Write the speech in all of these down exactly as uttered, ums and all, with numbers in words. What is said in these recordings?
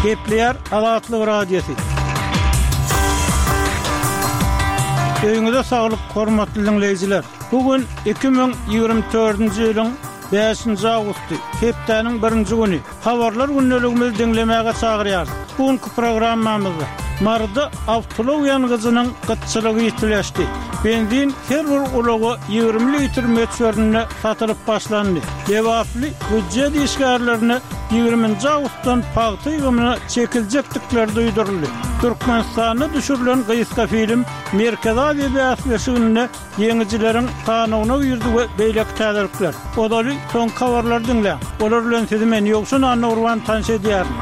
Gepleýär Azatlyk Radiosy. Öýüňize saglyk, hormatly diňleýjiler! Bu gün iki müň ýigrimi dördünji ýylyň bäşinji awgusty, hepdäniň birinji güni. Habarlar gündeligimizi diňlemäge çagyrýarys. Bu günki programmamyzda Maryda awtoulag ýangyjynyň gytçylygy ýitileşdi. Benzin her bir ulaga ýigrimi litr möçberinde satylyp başlandy. Lebaply býujet işgärlerine ýigriminji awgustdan pagta ýygymyna çekiljekdikleri duýduryldy. Türkmenistanda düşürilen gysga film Merkezi Aziýa bäsleşiginde ýeňijileriň sanawyna girdi we beýleki täzelikler. Ozaly soňky habarlary diňläň. Olar bilen sizi men Ýowşan Annagurban tanyş edýärin.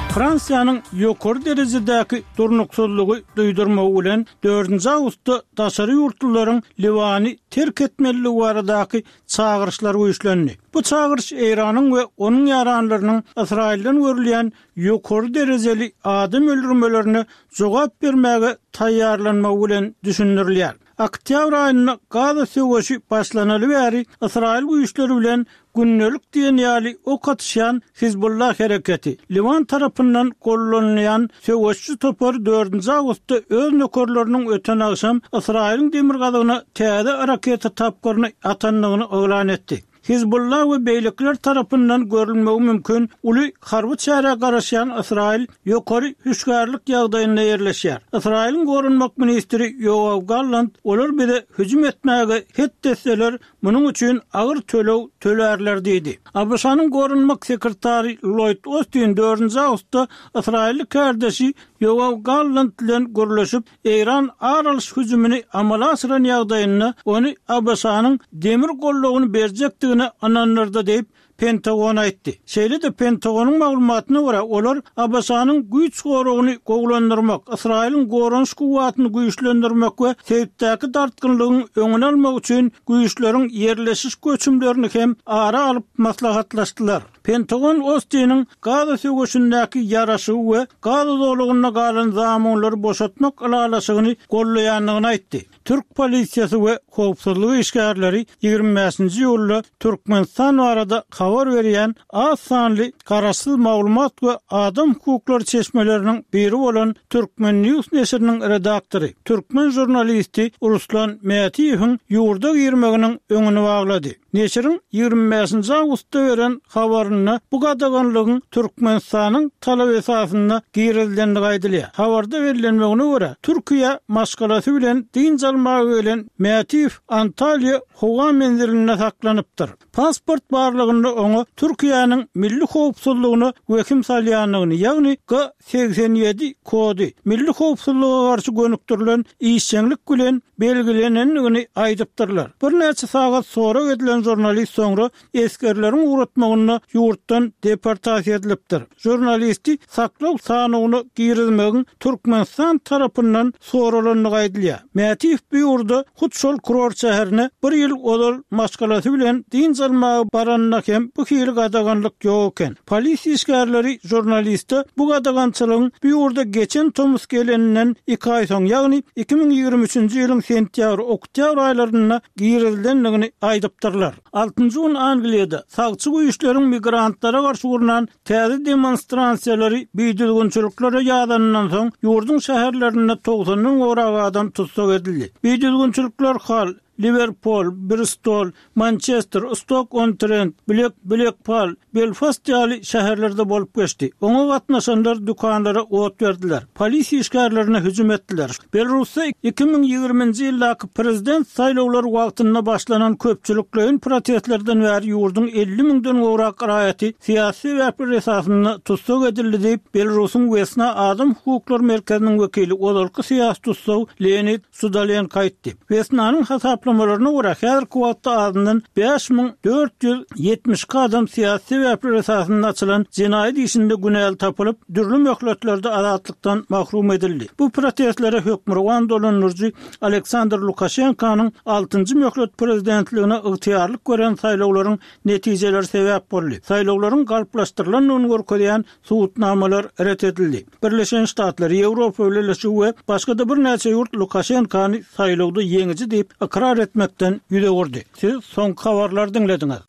Fransiýanyň ýokary derejedäki durnuksyzlygy duýdurmagy bilen dördünji awgustda daşary ýurtlularyň Liwany terk etmelidigi baradaky çagyryşlar güýçlendi. Bu çagyryş Eýranyň we onuň ýaranlarynyň Ysraýyldan görülýän ýokary derejeli adam öldürmelerine jogap bermäge taýýarlanmagy bilen düşündirilýär. Oktýabr aýynda Gaza söweşi başlanaly bäri Ysraýyl güýçleri bilen gündelik diýen ýaly ok atyşýan Hizbullah hereketi, Liwan tarapyndan gollanylýan söweşçi topar dördünji awgustda öz nökerleriniň öten agşam Ysraýylyň demirgazygyna täze raketa tapgyryny atandygyny yglan etdi. Hizbullah we beýlekiler tarapyndan görülmegi mümkin uly harby çärä garaşýan Ysraýyl ýokary hüşgärlik ýagdaýynda ýerleşýär. Ysraýylyň goranmak ministri Ýoaw Gallant, Olar bize hüjüm etmäge het etseler, munuň üçin agyr töleg tölärler diýdi. ABŞ-nyň goranmak sekretary Lloýd Ostin dördünji awgustda ysraýylly kärdeşi Ýoaw Gallant bilen gürleşip, Eýran ar alyş hüjümini amala aşyran ýagdaýynda ony ABŞ-nyň demir goldawyny berjekdigine ynandyrdy diýip, Pentagon aýtdy. Şeýle-de Pentagonyň maglumatyna görä, olar ABŞ-nyň güýç goragyny gowulandyrmak, Ysraýylyň goranyş kuwwatyny güýçlendirmek we sebitdäki dartgynlygyň öňüni almak üçin güýçleriň ýerleşiş göçümlerini hem ara alyp maslahatlaşdylar. Pentagon Ostiniň Gaza söweşindäki ýaraşygy we Gaza zolagynda galan zamunlary boşatmak ylalaşygyny goldaýandygyny aýtdy. Türk polisiýasy we howpsuzlyk işgärleri ýigrimi bäşinji iýulda Türkmenistan barada habar berýän az sanly garaşsyz maglumat we adam hukuklary çeşmeleriniň biri bolan Turkmen News neşiriniň redaktory, türkmen žurnalisti Ruslan Mätiýewiň ýurda girmeginiň öňüni baglady. Neşiriň ýigrimi bäşinji awgustda beren habarynda bu gadaganlygyň Türkmenistanyň talaby esasynda girizilendigi aýdylýar. Habarda bellenmegine görä, Türkiýä maşgalasy bilen dynç almaga gelen Mätiýew Antalýa howa menzilinde saklanypdyr. Pasport barlagynda oňa Türkiýäniň milli howpsuzlygyna wehim salýandygyny, ýagny G segsen ýedi kody milli howpsuzlyga garşy gönükdirilen işjeňlik bilen belgilenendigini aýdypdyrlar. Birnäçe sagat sorag edilen žurnalist soňra esgerleriň ugratmagynda ýurtdan deportasiýa edilipdir. Žurnalisti saklaw sanawyna girizmegiň Türkmenistan tarapyndan soralandygy aýdylýar. Mätiýew bu ýurda hut şol kurort şäherine bir ýyl ozal maşgalasy bilen dynç almaga baranynda hem bu hili gadaganlyk ýok eken. Polisiýa işgärleri žurnaliste bu gadagançylygyň bu ýurda geçen tomus geleninden iki aý soň, ýagny iki müň ýigrimi üçünji ýylyň sentýabr-oktýabr aýlarynda girizilendigini aýdypdyrlar. Altynjy gün Angliýada sagçy güýçleriň migrantlara garşy gurnan täze demonstrasiýalary bidüzgünçiliklere ýazanyndan soň, ýurduň şäherlerinde togsandan gowrak adam tussag edildi. Bidüzgünçilikler Hall, Liwerpul, Bristol, Mançester, Stok-on-Trent, Blek, Blekpal, Belfast ýaly şäherlerde bolup geçdi. Oňa gatnaşanlar dükanlara ot berdiler, polisiýa işgärlerine hüjüm etdiler. Belarusda iki müň ýigriminji ýyldaky prezident saýlawlary wagtynda başlanan köpçülikleýin protestlerden bäri ýurduň elli müňden gowrak raýaty syýasy sebäpler esasynda tussag edildi diýip, Belarusyň Wesna adam hukuklary merkeziniň wekili, ozalky syýasy tussag Leonid Sudalenko aýtdy. Wesnanyň hasaplamalaryna görä, häzirki wagtda azyndan bäş müň dört ýüz ýetmiş iki adam syýasy sebäpler esasynda açylan jenaýat işinde günäli tapylyp, dürli möhletlerde azatlykdan mahrum edildi. Bu protestlere hökmürowan dolandyryjy Aleksandr Lukaşenkonyň altynjy möhlet prezidentligine ygtyýarlyk beren saýlawlaryň netijeleri sebäp boldy. Saýlawlaryň galplaşdyrylandygyny görkezýän subutnamalar ret edildi. Birleşen Ştatlar, Ýewropa Bileleşigi we başga-da birnäçe ýurt Lukaşenkany saýlawda ýeňiji diýip ykrar etmekden ýüz öwürdi. Siz soňky habarlary diňlediňiz.